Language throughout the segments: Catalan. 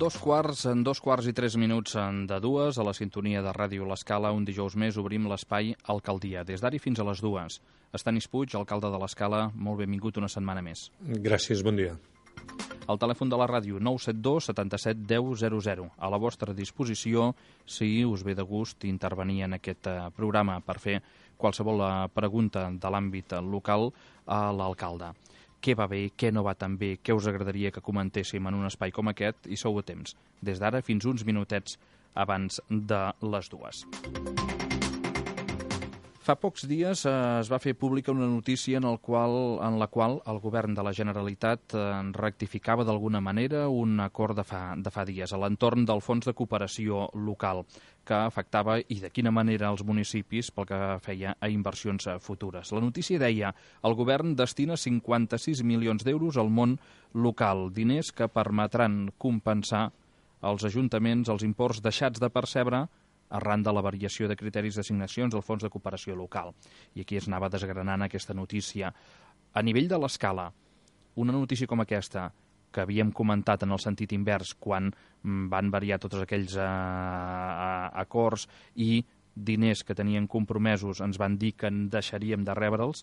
2 quarts i 3 minuts de dues, a la sintonia de Ràdio L'Escala. Un dijous més obrim l'espai Alcaldia. Des d'ara fins a les 2. Estanis Puig, alcalde de l'Escala, molt benvingut una setmana més. Gràcies, bon dia. El telèfon de la ràdio 972 77 10 00. A la vostra disposició, si us ve de gust intervenir en aquest programa per fer qualsevol pregunta de l'àmbit local a l'alcalde. Què va bé, què no va tan bé, què us agradaria que comentéssim en un espai com aquest, i sou a temps, des d'ara fins uns minutets abans de les 2. Fa pocs dies es va fer pública una notícia en la qual el govern de la Generalitat rectificava d'alguna manera un acord de fa dies a l'entorn del Fons de Cooperació Local, que afectava i de quina manera els municipis pel que feia a inversions futures. La notícia deia: el govern destina 56 milions d'euros al món local, diners que permetran compensar als ajuntaments els imports deixats de percebre arran de la variació de criteris d'assignacions del Fons de Cooperació Local. I aquí es anava desgranant aquesta notícia. A nivell de l'escala, una notícia com aquesta, que havíem comentat en el sentit invers quan van variar tots aquells acords i diners que tenien compromesos ens van dir que en deixaríem de rebre'ls,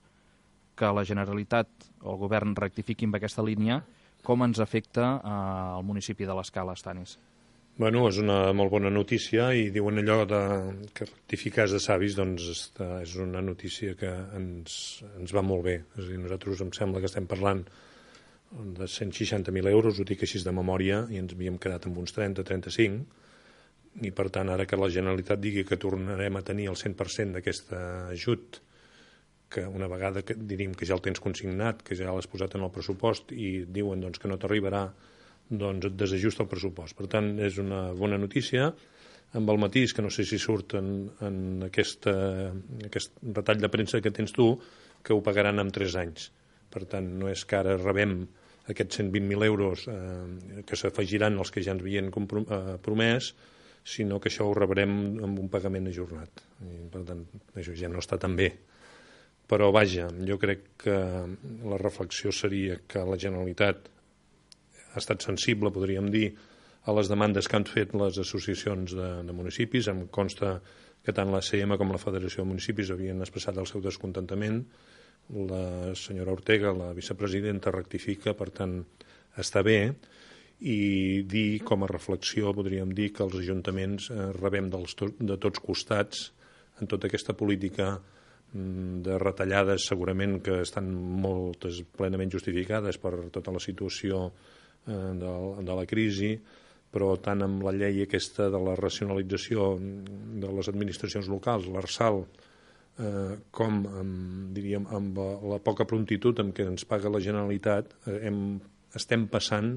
que la Generalitat o el govern rectifiqui amb aquesta línia, com ens afecta al municipi de l'Escala, Estanis? Bueno, és una molt bona notícia i diuen allò que rectificar és de savis, doncs és una notícia que ens va molt bé. És a dir, nosaltres em sembla que estem parlant de 160.000 euros, ho dic així de memòria, i ens havíem quedat amb uns 30-35, i per tant ara que la Generalitat digui que tornarem a tenir el 100% d'aquest ajut, que una vegada que diríem que ja el tens consignat, que ja l'has posat en el pressupost i diuen doncs, que no t'arribarà, doncs et desajusta el pressupost. Per tant, és una bona notícia, amb el matís, que no sé si surt en aquest retall de premsa que tens tu, que ho pagaran en 3 anys. Per tant, no és que ara rebem aquests 120.000 euros que s'afegiran als que ja ens havien promès, sinó que això ho rebrem amb un pagament ajornat. I, per tant, això ja no està tan bé. Però, vaja, jo crec que la reflexió seria que la Generalitat ha estat sensible, podríem dir, a les demandes que han fet les associacions de municipis. Em consta que tant la CM com la Federació de Municipis havien expressat el seu descontentament. La senyora Ortega, la vicepresidenta, rectifica, per tant, està bé. I dir, com a reflexió, podríem dir que els ajuntaments rebem de tots costats en tota aquesta política de retallades, segurament que estan moltes plenament justificades per tota la situació de la crisi, però tant amb la llei aquesta de la racionalització de les administracions locals, l'ARSAL, com diríem amb la poca prontitud amb què ens paga la Generalitat, estem passant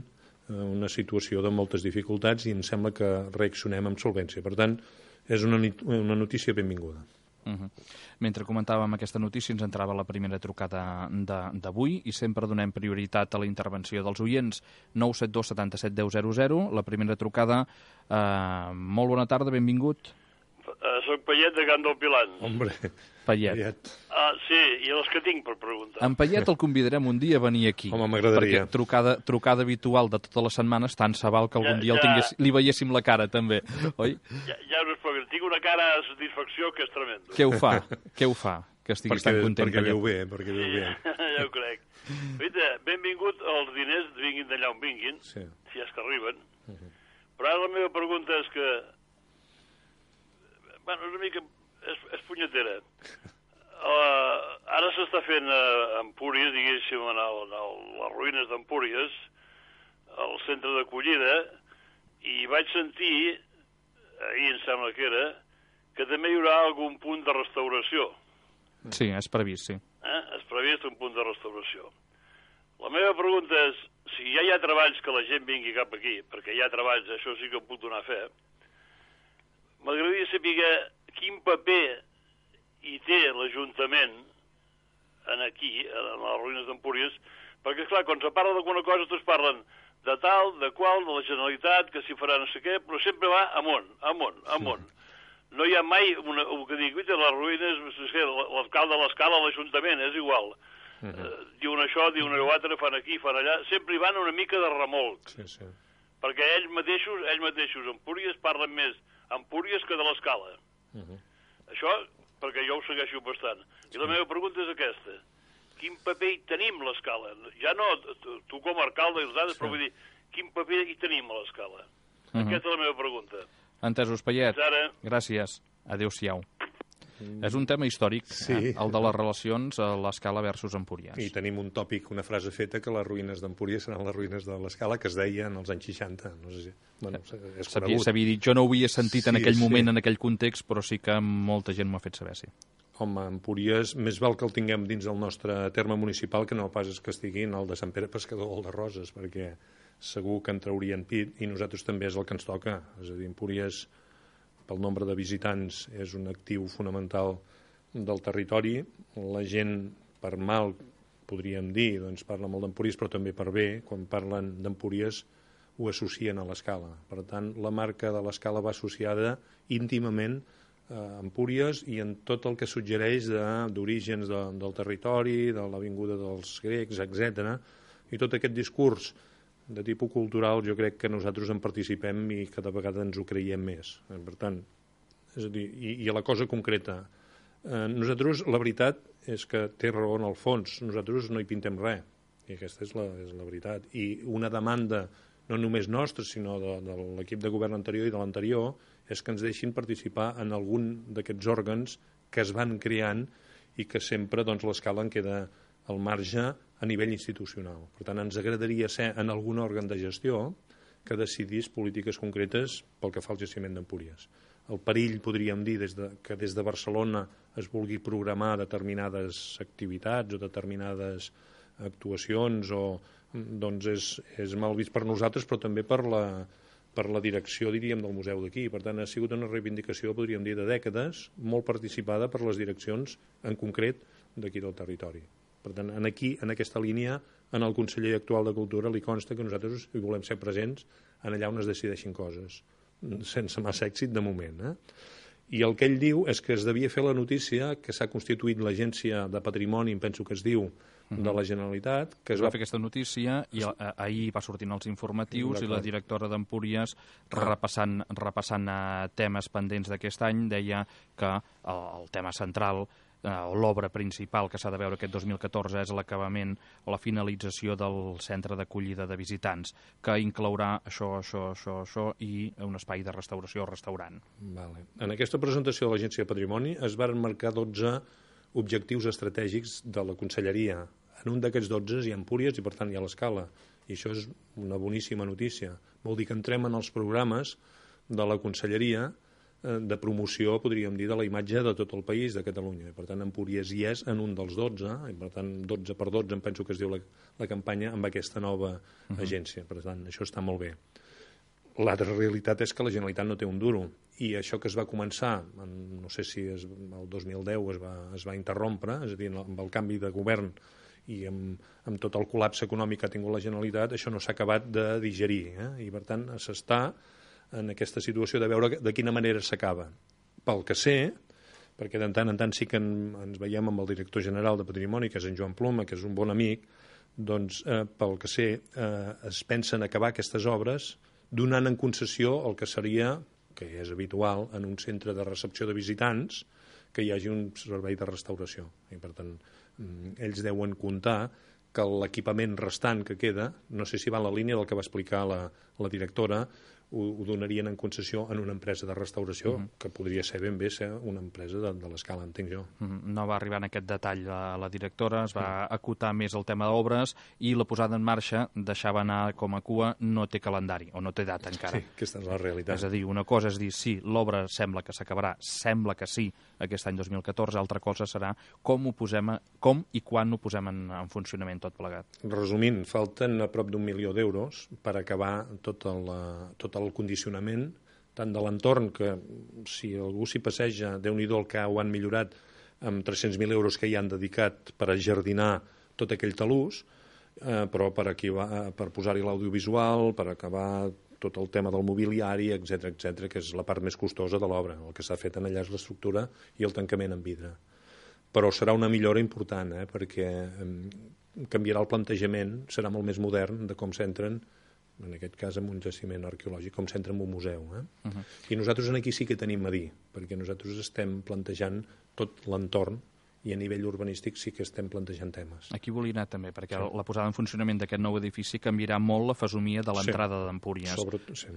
una situació de moltes dificultats i em sembla que reaccionem amb solvència. Per tant, és una notícia benvinguda. Mentre comentàvem aquesta notícia ens entrava la primera trucada d'avui i sempre donem prioritat a la intervenció dels oients. 972 77 10 00. La primera trucada. Molt bona tarda, benvingut. Soc Payet de Can del Pilant. Hombre, Payet. Sí, i els que tinc per preguntar. En Payet el convidarem un dia a venir aquí. Home, m'agradaria. Perquè trucada habitual de totes les setmanes, tant se val que algun dia li veiéssim la cara, també, oi? Ja us explico. Tinc una cara de satisfacció que és tremendo. Què ho fa? Que estiguis tan content. Perquè viu bé, Ja ho crec. Benvingut els diners, vinguin d'allà on vinguin, si és que arriben. Però ara la meva pregunta és que... Bueno, és una mica... És punyetera. Ara s'està fent a Empúries, diguéssim, a les ruïnes d'Empúries, al centre d'acollida, i vaig sentir, ahir em sembla que era, que també hi haurà algun punt de restauració. Sí, és previst, sí. És previst un punt de restauració. La meva pregunta és, si ja hi ha treballs que la gent vingui cap aquí, perquè hi ha treballs, això sí que em puc donar fe, m'agradaria saber quin paper hi té l'Ajuntament aquí, en les ruïnes d'Empúries, perquè, esclar, quan se parla d'alguna cosa, tots parlen de tal, de qual, de la Generalitat, que s'hi farà no sé què, però sempre va amunt. No hi ha mai el que dic, les ruïnes, l'alcalde de l'Escala, l'Ajuntament, és igual. Diuen això, diuen allò altre, fan aquí, fan allà, sempre hi van una mica de remolc. Sí. perquè ells mateixos Empúries parlen més Empúries que de l'Escala. Això perquè jo ho segueixo bastant. I la meva pregunta és aquesta. Quin paper hi tenim a l'Escala? Ja no, tu com a alcalde i els altres, però vull dir, quin paper hi tenim a l'Escala? Aquesta és la meva pregunta. Entesos, Payet. Gràcies. Adéu-siau. És un tema històric, el de les relacions a l'Escala versus Empúries. I tenim un tòpic, una frase feta, que les ruïnes d'Empúries seran les ruïnes de l'Escala, que es deia en els anys 60. No sé si... Bueno, és conegut. S'havia dit, jo no ho havia sentit en aquell moment, en aquell context, però sí que molta gent m'ho ha fet saber, sí. Home, Empúries, més val que el tinguem dins del nostre terme municipal que no pas que estigui en el de Sant Pere Pescador o el de Roses, perquè segur que en traurien pit i nosaltres també és el que ens toca. És a dir, Empúries, pel nombre de visitants, és un actiu fonamental del territori. La gent, per mal, podríem dir, doncs parla molt d'Empúries, però també per bé, quan parlen d'Empúries ho associen a l'Escala. Per tant, la marca de l'Escala va associada íntimament a Empúries i en tot el que suggereix d'orígens del territori, de l'avinguda dels grecs, etc. I tot aquest discurs de tipus cultural jo crec que nosaltres en participem i cada vegada ens ho creiem més. Per tant, és a dir, i a la cosa concreta, nosaltres la veritat és que té raó en el fons, nosaltres no hi pintem res, i aquesta és la veritat. I una demanda no només nostra, sinó de l'equip de govern anterior i de l'anterior, és que ens deixin participar en algun d'aquests òrgans que es van creant i que sempre doncs, l'Escala en queda al marge a nivell institucional. Per tant, ens agradaria ser en algun òrgan de gestió que decidís polítiques concretes pel que fa al jaciment d'Empúries. El perill, podríem dir, que des de Barcelona es vulgui programar determinades activitats o determinades actuacions, doncs és mal vist per nosaltres, però també per la direcció, diríem, del museu d'aquí. Per tant, ha sigut una reivindicació, podríem dir, de dècades, molt participada per les direccions, en concret, d'aquí del territori. Per tant, aquí, en aquesta línia, en el conseller actual de Cultura li consta que nosaltres hi volem ser presents en allà on es decideixin coses, sense massa èxit de moment. I el que ell diu és que es devia fer la notícia que s'ha constituït l'Agència de Patrimoni, penso que es diu, de la Generalitat. Que es va fer aquesta notícia i ahir va sortir els informatius i la directora d'Empúries, repassant temes pendents d'aquest any, deia que el tema central o l'obra principal que s'ha de veure aquest 2014 és l'acabament o la finalització del centre d'acollida de visitants, que inclourà això i un espai de restauració o restaurant. Vale. En aquesta presentació de l'Agència de Patrimoni es van marcar 12 objectius estratègics de la Conselleria. En un d'aquests 12 hi ha Empúries i, per tant, hi ha l'Escala. I això és una boníssima notícia. Vol dir que entrem en els programes de la Conselleria de promoció, podríem dir, de la imatge de tot el país, de Catalunya. Per tant, Empúries hi és en un dels 12, i per tant, 12 per 12, em penso que es diu la campanya, amb aquesta nova agència. Per tant, això està molt bé. L'altra realitat és que la Generalitat no té un duro, i això que es va començar, no sé si el 2010 es va interrompre, és a dir, amb el canvi de govern i amb tot el col·lapse econòmic que ha tingut la Generalitat, això no s'ha acabat de digerir, i per tant s'està en aquesta situació de veure de quina manera s'acaba. Pel que sé, perquè de tant en tant sí que ens veiem amb el director general de Patrimoni, que és en Joan Ploma, que és un bon amic, doncs pel que sé es pensen acabar aquestes obres donant en concessió el que seria, que és habitual, en un centre de recepció de visitants, que hi hagi un servei de restauració. I per tant, ells deuen comptar que l'equipament restant que queda, no sé si va en la línia del que va explicar la directora, ho donarien en concessió en una empresa de restauració, que podria ser ben bé ser una empresa de l'Escala, entenc jo. No va arribar en aquest detall la directora, es va acotar més el tema d'obres i la posada en marxa deixava anar com a cua, no té calendari, o no té data encara. Sí, aquesta és la realitat. És a dir, una cosa és dir, sí, l'obra sembla que s'acabarà, sembla que sí, aquest any 2014, altra cosa serà com i quan ho posem en funcionament tot plegat. Resumint, falten a prop d'1 milió d'euros per acabar tot el condicionament, tant de l'entorn, que si algú s'hi passeja, Déu-n'hi-do el que ho han millorat amb 300.000 euros que hi han dedicat per ajardinar tot aquell talús, però per posar-hi l'audiovisual, per acabar tot el tema del mobiliari, etc, que és la part més costosa de l'obra. El que s'ha fet en allà és l'estructura i el tancament en vidre. Però serà una millora important, perquè canviarà el plantejament, serà molt més modern de com s'entren en aquest cas amb un jaciment arqueològic, com s'entra en un museu. I nosaltres aquí sí que tenim a dir, perquè nosaltres estem plantejant tot l'entorn i a nivell urbanístic sí que estem plantejant temes. Aquí volia anar també, perquè la posada en funcionament d'aquest nou edifici canviarà molt la fesomia de l'entrada d'Empúries.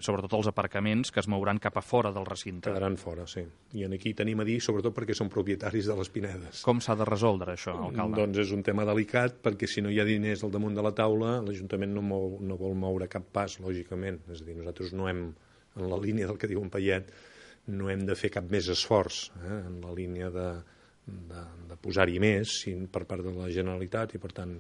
Sobretot els aparcaments que es mouran cap a fora del recinte. Quedaran fora, sí. I aquí tenim a dir, sobretot perquè són propietaris de les Pinedes. Com s'ha de resoldre això, alcalde? Doncs és un tema delicat, perquè si no hi ha diners al damunt de la taula, l'Ajuntament no vol moure cap pas, lògicament. És a dir, nosaltres no hem, en la línia del que diu en Payet, no hem de fer cap més esforç en la línia de posar-hi més per part de la Generalitat i, per tant,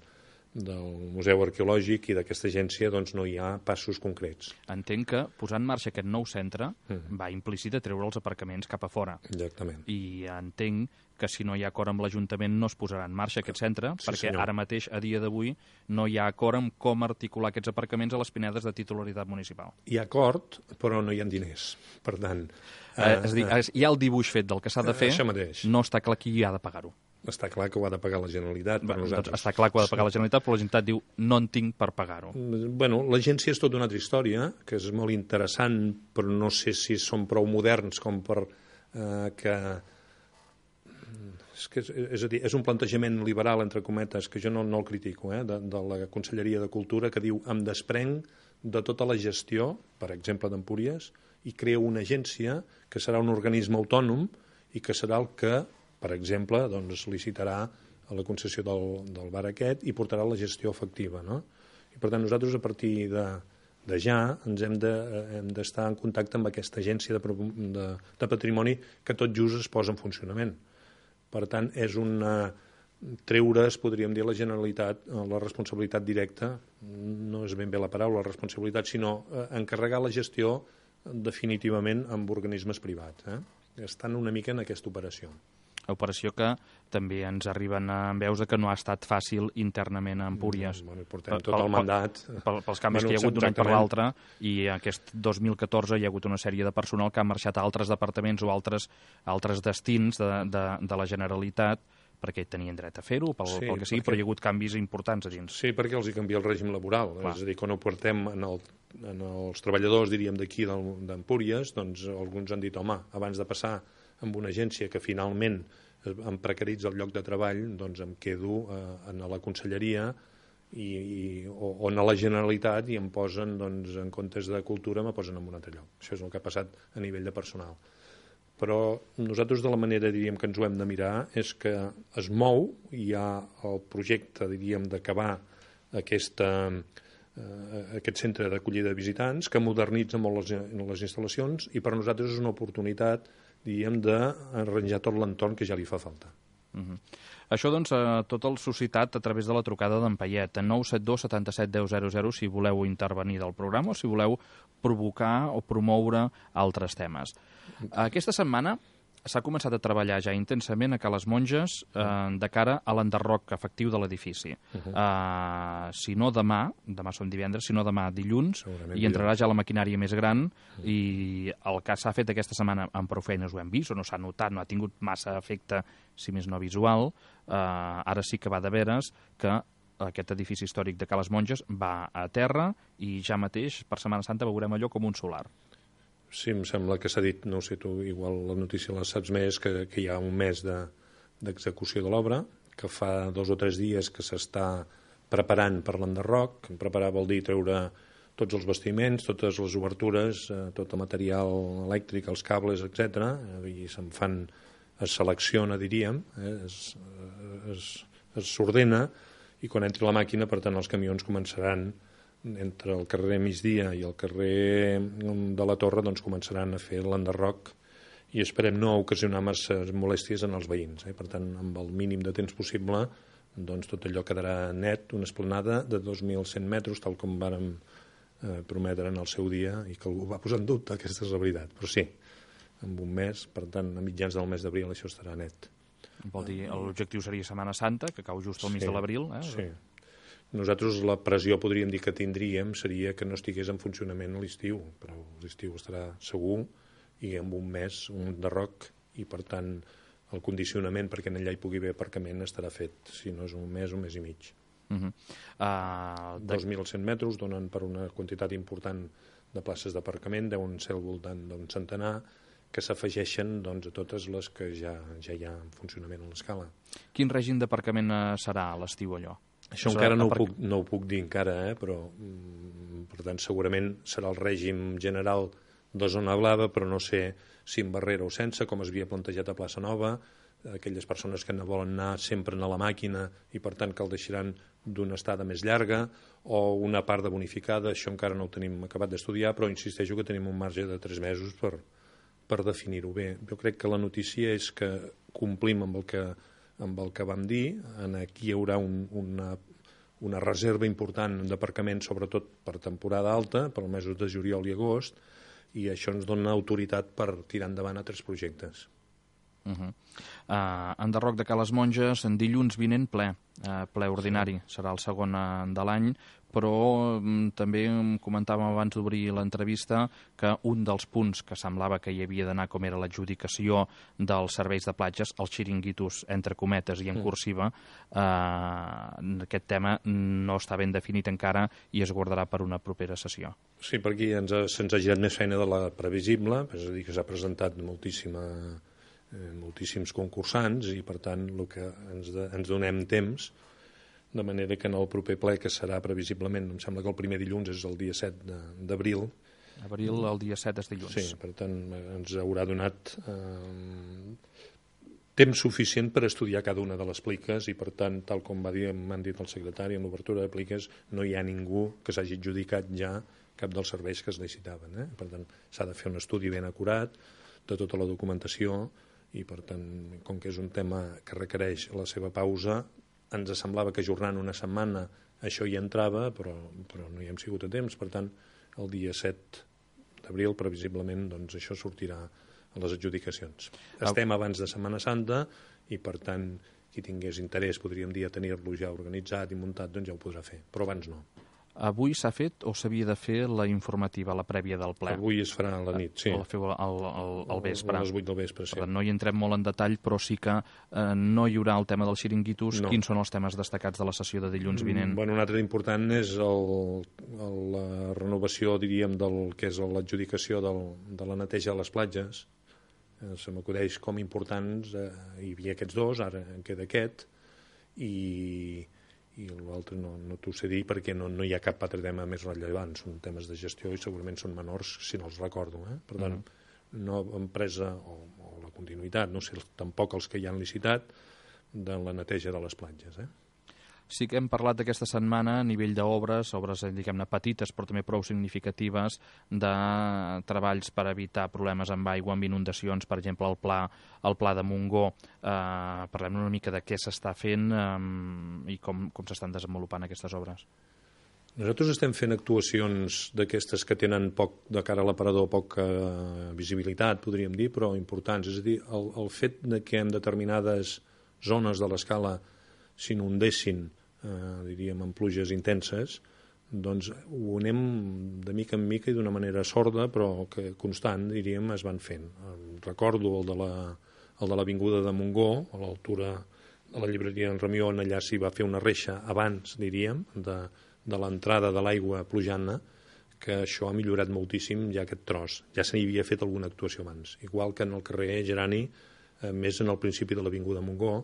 del Museu Arqueològic i d'aquesta agència doncs no hi ha passos concrets. Entenc que posar en marxa aquest nou centre va implícit a treure els aparcaments cap a fora. Exactament. I entenc que si no hi ha acord amb l'Ajuntament no es posarà en marxa aquest centre, perquè ara mateix, a dia d'avui, no hi ha acord amb com articular aquests aparcaments a les Pinedes de titularitat municipal. Hi ha acord, però no hi ha diners. Per tant... és a dir, hi ha el dibuix fet del que s'ha de fer, no està clar qui ha de pagar-ho. Està clar que ho ha de pagar la Generalitat per nosaltres. Doncs està clar que ho ha de pagar la Generalitat, però la Generalitat diu no en tinc per pagar-ho. Bueno, l'agència és tota una altra història, que és molt interessant, però no sé si són prou moderns com per que... És a dir, és un plantejament liberal, entre cometes, que jo no el critico, de la Conselleria de Cultura, que diu em desprenc de tota la gestió, per exemple, d'Empúries, i creo una agència que serà un organisme autònom i que serà el que, per exemple, doncs, licitarà a la concessió del bar aquest i portarà la gestió efectiva. No? I, per tant, nosaltres, a partir de ja, ens hem d'estar en contacte amb aquesta agència de patrimoni que tot just es posa en funcionament. Per tant, és treure's, podríem dir, a la Generalitat la responsabilitat directa, no és ben bé la paraula, la responsabilitat, sinó encarregar la gestió definitivament amb organismes privats. Estan una mica en aquesta operació. Operació que també ens arriben en veus que no ha estat fàcil internament a Empúries. Portem tot el mandat. Pels canvis que hi ha hagut d'un any per l'altre, i aquest 2014 hi ha hagut una sèrie de personal que ha marxat a altres departaments o altres destins de la Generalitat, perquè tenien dret a fer-ho, pel que sigui, però hi ha hagut canvis importants a dins. Sí, perquè els hi canvia el règim laboral. És a dir, quan ho portem en els treballadors, diríem, d'aquí d'Empúries, doncs alguns han dit, home, abans de passar amb una agència que finalment em precaritza el lloc de treball, doncs em quedo a la conselleria o a la Generalitat i em posen, doncs, en comptes de cultura, me posen en un altre lloc. Això és el que ha passat a nivell de personal. Però nosaltres, de la manera, diríem, que ens ho hem de mirar, és que es mou, hi ha el projecte, diríem, d'acabar aquest centre d'acollida de visitants, que modernitza molt les instal·lacions, i per nosaltres és una oportunitat, diríem, d'arranjar tot l'entorn que ja li fa falta. Això, doncs, tot el suscitat a través de la trucada d'en Payet, 972 77 10 00, si voleu intervenir del programa o si voleu provocar o promoure altres temes. Aquesta setmana s'ha començat a treballar ja intensament a Cales Monges de cara a l'enderroc efectiu de l'edifici. Si no demà som divendres, si no demà dilluns, hi entrarà ja la maquinària més gran i el que s'ha fet aquesta setmana amb prou feines ho hem vist, o no s'ha notat, no ha tingut massa efecte, si més no visual. Ara sí que va de veres que aquest edifici històric de Cales Monges va a terra i ja mateix per Setmana Santa veurem allò com un solar. Sí, em sembla que s'ha dit, no sé, tu igual la notícia la saps més, que hi ha un mes d'execució de l'obra, que fa 2 o 3 dies que s'està preparant per l'enderroc. Preparar vol dir treure tots els bastiments, totes les obertures, tot el material elèctric, els cables, etc. I es selecciona, diríem, s'ordena, i quan entri la màquina, per tant, els camions començaran entre el carrer Migdia i el carrer de la Torre, doncs començaran a fer l'enderroc i esperem no ocasionar massa molèsties en els veïns. Per tant, amb el mínim de temps possible, doncs tot allò quedarà net, una esplanada de 2.100 metres, tal com vàrem prometre en el seu dia i que algú va posar en dubte, aquesta és la veritat. Però sí, en un mes, per tant, a mitjans del mes d'abril això estarà net. Vol dir, l'objectiu seria Setmana Santa, que cau just al mig de l'abril. Sí. Nosaltres la pressió, podríem dir, que tindríem seria que no estigués en funcionament a l'estiu, però l'estiu estarà segur i en un mes un enderroc i, per tant, el condicionament perquè allà hi pugui haver aparcament estarà fet, si no és un mes i mig. 2.100 metres, donen per una quantitat important de places d'aparcament, deuen ser al voltant d'un centenar, que s'afegeixen doncs, a totes les que ja hi ha en funcionament a l'escala. Quin règim d'aparcament serà a l'estiu, allò? Això encara no ho puc dir encara, però per tant segurament serà el règim general de zona blava, però no sé si amb barrera o sense, com es havia plantejat a Plaça Nova, aquelles persones que no volen anar sempre a la màquina i per tant que el deixaran d'una estada més llarga, o una part de bonificada, això encara no ho tenim acabat d'estudiar, però insisteixo que tenim un marge de 3 mesos per definir-ho bé. Jo crec que la notícia és que complim amb el que vam dir. Aquí hi haurà una reserva important d'aparcament, sobretot per temporada alta, per als mesos de juliol i agost, i això ens dona autoritat per tirar endavant altres projectes. Enderroc de Cales Monges, en dilluns vinent ple ordinari, serà el segon de l'any, però també comentàvem abans d'obrir l'entrevista que un dels punts que semblava que hi havia d'anar, com era l'adjudicació dels serveis de platges, els xiringuitos entre cometes i en cursiva, aquest tema no està ben definit encara i es guardarà per una propera sessió. Sí, per aquí se'ns ha girat més feina de la previsible, és a dir, que s'ha presentat moltíssims concursants i per tant el que ens donem temps, de manera que en el proper ple, que serà previsiblement, em sembla que el primer dilluns és el dia 7 d'abril. El dia 7 és dilluns. Sí, per tant ens haurà donat temps suficient per estudiar cada una de les pliques i per tant, tal com m'han dit el secretari, en l'obertura de pliques no hi ha ningú que s'hagi adjudicat ja cap dels serveis que es licitaven. Per tant, s'ha de fer un estudi ben acurat de tota la documentació i per tant, com que és un tema que requereix la seva pausa, ens semblava que ajornant una setmana això hi entrava, però no hi hem sigut a temps. Per tant, el dia 7 d'abril, previsiblement, doncs això sortirà a les adjudicacions. Estem abans de Setmana Santa i, per tant, qui tingués interès, podríem dir, a tenir-lo ja organitzat i muntat, doncs ja ho podrà fer, però abans no. Avui s'ha fet o s'havia de fer la informativa, la prèvia del ple? Avui es farà a la nit, sí. La feu al vespre. A les 8 del vespre, sí. No hi entrem molt en detall, però sí que no hi haurà el tema dels xiringuitos. No. Quins són els temes destacats de la sessió de dilluns vinent? Un altre important és la renovació, diríem, del que és l'adjudicació de la neteja de les platges. Se m'acudeix com importants, hi havia aquests dos, ara en queda aquest, i l'altre no t'ho sé dir perquè no hi ha cap altre tema més rellevant, són temes de gestió i segurament són menors si no els recordo. Per tant, no empresa o la continuïtat, no sé tampoc els que hi han licitat de la neteja de les platges. Sí que hem parlat aquesta setmana a nivell d'obres, diguem-ne petites però també prou significatives, de treballs per evitar problemes amb aigua, amb inundacions, per exemple el pla de Montgó. Parlem una mica de què s'està fent i com s'estan desenvolupant aquestes obres. Nosaltres estem fent actuacions d'aquestes que tenen poc de cara a l'aparador, poca visibilitat, podríem dir, però importants. És a dir, el fet que en determinades zones de l'escala s'inundessin, diríem, amb pluges intenses, doncs ho anem de mica en mica i d'una manera sorda, però que constant, diríem, es van fent. Recordo el de l'avinguda de Montgó, a l'altura de la llibreria en Ramió, allà s'hi va fer una reixa abans, diríem, de l'entrada de l'aigua plujant, que això ha millorat moltíssim ja aquest tros. Ja se n'hi havia fet alguna actuació abans. Igual que en el carrer Gerani, més en el principi de l'avinguda Montgó,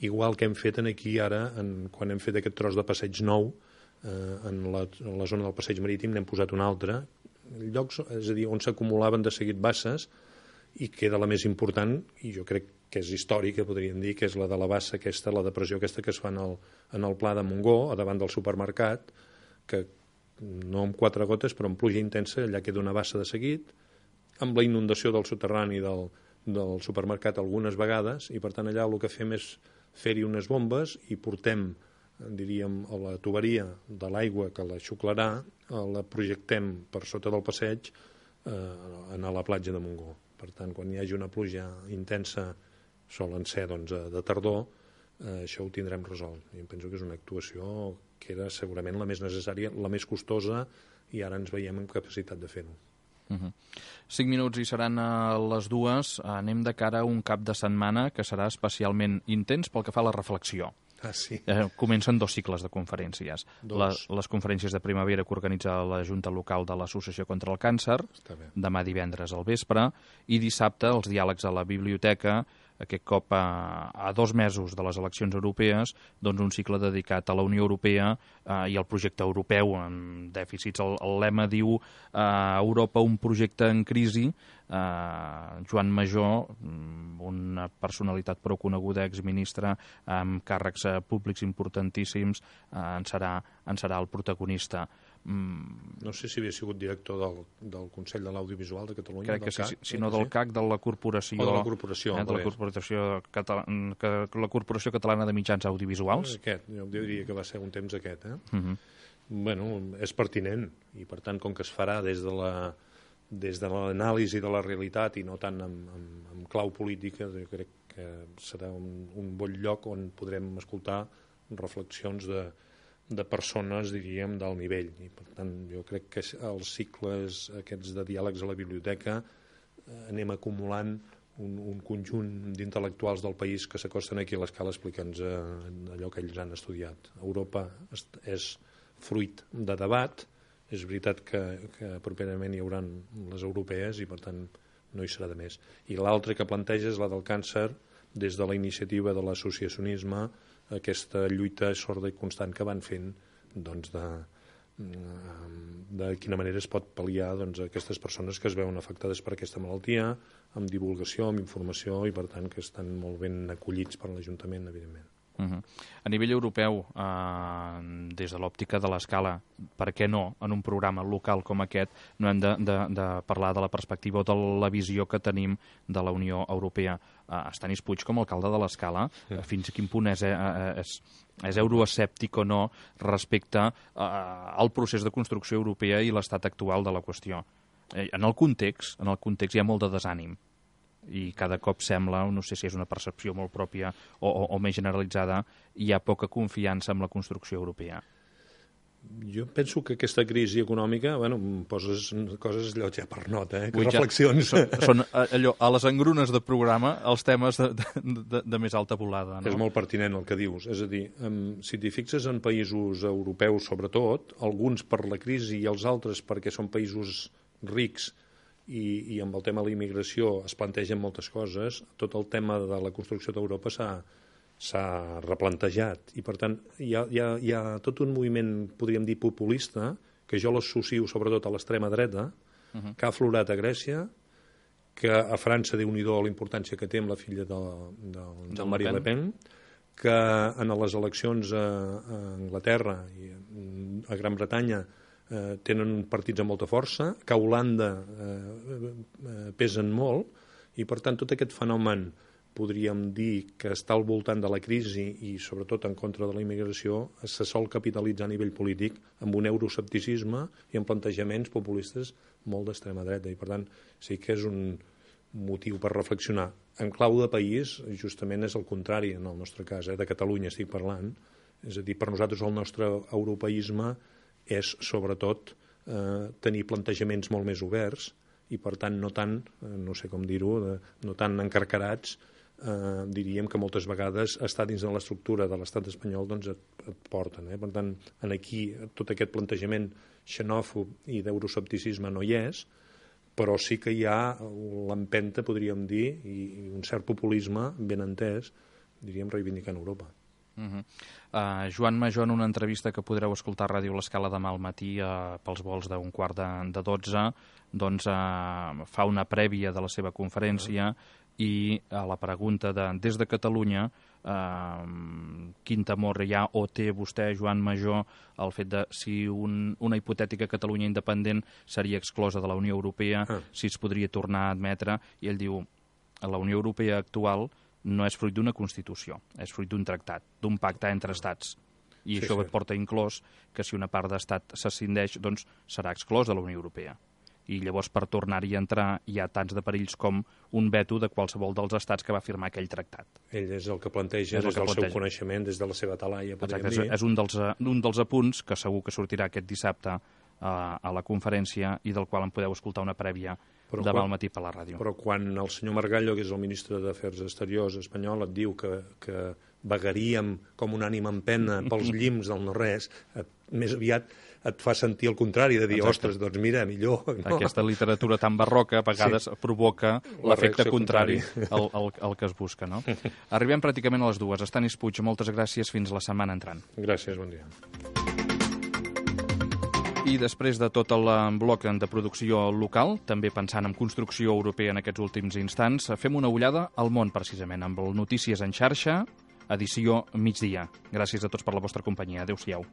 igual que hem fet aquí ara, quan hem fet aquest tros de passeig nou, en la zona del passeig marítim n'hem posat un altre, llocs, és a dir, on s'acumulaven de seguit basses, i queda la més important, i jo crec que és històrica, podríem dir, que és la de la bassa aquesta, la depressió aquesta que es fa en el Pla de Montgó, a davant del supermercat, que no amb 4 gotes, però amb pluja intensa, allà queda una bassa de seguit, amb la inundació del soterrani del supermercat algunes vegades, i per tant allà el que fem és fer-hi unes bombes i portem, diríem, a la tuberia de l'aigua que la xuclarà, la projectem per sota del passeig a la platja de Montgó. Per tant, quan hi hagi una pluja intensa, solen ser de tardor, això ho tindrem resolt. I em penso que és una actuació que era segurament la més necessària, la més costosa, i ara ens veiem amb capacitat de fer-ho. 5 minuts i seran a les 2. Anem de cara a un cap de setmana que serà especialment intens pel que fa a la reflexió. sí. Comencen 2 cicles de conferències. Les conferències de primavera que organitza la Junta Local de l'Associació contra el Càncer, demà divendres al vespre, i dissabte els diàlegs a la biblioteca, aquest cop a 2 mesos de les eleccions europees, doncs un cicle dedicat a la Unió Europea i al projecte europeu amb dèficits. El lema diu Europa, un projecte en crisi. Joan Majó, una personalitat prou coneguda, exministre amb càrrecs públics importantíssims, en serà el protagonista. No sé si havia sigut director del Consell de l'Audiovisual de Catalunya. Crec que sí, sinó del CAC, de la Corporació, de la Corporació Catalana de Mitjans Audiovisuals. Jo diria que va ser un temps aquest. Bueno, és pertinent, i per tant, com que es farà des de l'anàlisi de la realitat i no tant amb clau política, jo crec que serà un bon lloc on podrem escoltar reflexions de persones, diríem, d'alt nivell. I per tant, jo crec que els cicles aquests de diàlegs a la biblioteca anem acumulant un conjunt d'intel·lectuals del país que s'acosten aquí a l'escala a explicar-nos allò que ells han estudiat. Europa és fruit de debat. És veritat que properament hi haurà les europees i per tant no hi serà de més. I l'altre que planteja és la del càncer, des de la iniciativa de l'associacionisme, aquesta lluita sorda i constant que van fent de quina manera es pot pal·liar aquestes persones que es veuen afectades per aquesta malaltia, amb divulgació, amb informació, i per tant que estan molt ben acollits per l'Ajuntament, evidentment. A nivell europeu, des de l'òptica de l'escala, per què no, en un programa local com aquest, no hem de parlar de la perspectiva o de la visió que tenim de la Unió Europea? Estanis Puig, com a alcalde de l'Escala, fins a quin punt és euroescèptic o no respecte al procés de construcció europea i l'estat actual de la qüestió? En el context hi ha molt de desànim, i cada cop sembla, no sé si és una percepció molt pròpia o més generalitzada, hi ha poca confiança en la construcció europea. Jo penso que aquesta crisi econòmica, poses coses allò ja per nota, que reflexions. Són allò, a les engrunes de programa, els temes de més alta volada. No? És molt pertinent el que dius. És a dir, si t'hi fixes en països europeus, sobretot, alguns per la crisi i els altres perquè són països rics, i amb el tema de la immigració es plantegen moltes coses, tot el tema de la construcció d'Europa s'ha replantejat, i per tant hi ha tot un moviment, podríem dir, populista, que jo l'associo sobretot a l'extrema dreta, que ha aflorat a Grècia, que a França, Déu-n'hi-do la importància que té amb la filla del Marine Le Pen, que en les eleccions a Anglaterra i a Gran Bretanya tenen partits amb molta força, que a Holanda pesen molt, i per tant tot aquest fenomen podríem dir que està al voltant de la crisi i sobretot en contra de la immigració se sol capitalitzar a nivell polític amb un euroescepticisme i amb plantejaments populistes molt d'extrema dreta, i per tant sí que és un motiu per reflexionar. En clau de país justament és el contrari en el nostre cas, de Catalunya estic parlant, és a dir, per nosaltres el nostre europeisme és, sobretot, tenir plantejaments molt més oberts i, per tant, no tant, no sé com dir-ho, no tan encarcarats, diríem que moltes vegades estar dins de l'estructura de l'estat espanyol et porten. Per tant, aquí tot aquest plantejament xenòfob i d'euroescepticisme no hi és, però sí que hi ha l'empenta, podríem dir, i un cert populisme ben entès, diríem, reivindicant Europa. Joan Majó, en una entrevista que podreu escoltar a Ràdio l'Escala demà al matí pels vols d'un quart de 12, doncs fa una prèvia de la seva conferència i a la pregunta des de Catalunya quin temor hi ha o té vostè, Joan Majó, el fet de si una hipotètica Catalunya independent seria exclosa de la Unió Europea, si es podria tornar a admetre, i ell diu la Unió Europea actual no és fruit d'una Constitució, és fruit d'un tractat, d'un pacte entre estats. I això porta inclòs que si una part d'estat s'escindeix, doncs serà exclòs de la Unió Europea. I llavors per tornar-hi a entrar hi ha tants de perills com un veto de qualsevol dels estats que va firmar aquell tractat. Ell és el que planteja des del seu coneixement, des de la seva talaia, podríem dir. És un dels apunts que segur que sortirà aquest dissabte a la conferència i del qual en podeu escoltar una prèvia demà al matí per la ràdio. Però quan el senyor Margallo, que és el ministre d'Afers Exteriors espanyol, et diu que vagaríem com una ànima en pena pels llims del no-res, més aviat et fa sentir el contrari, de dir, ostres, doncs mira, millor. No? Aquesta literatura tan barroca a vegades provoca l'efecte contrari al que es busca, no? Arribem pràcticament a les 2. Estanis Puig, moltes gràcies, fins la setmana entrant. Gràcies, bon dia. I després de tot el bloc de producció local, també pensant en construcció europea en aquests últims instants, fem una ullada al món, precisament, amb el Notícies en xarxa, edició migdia. Gràcies a tots per la vostra companyia. Adéu-siau.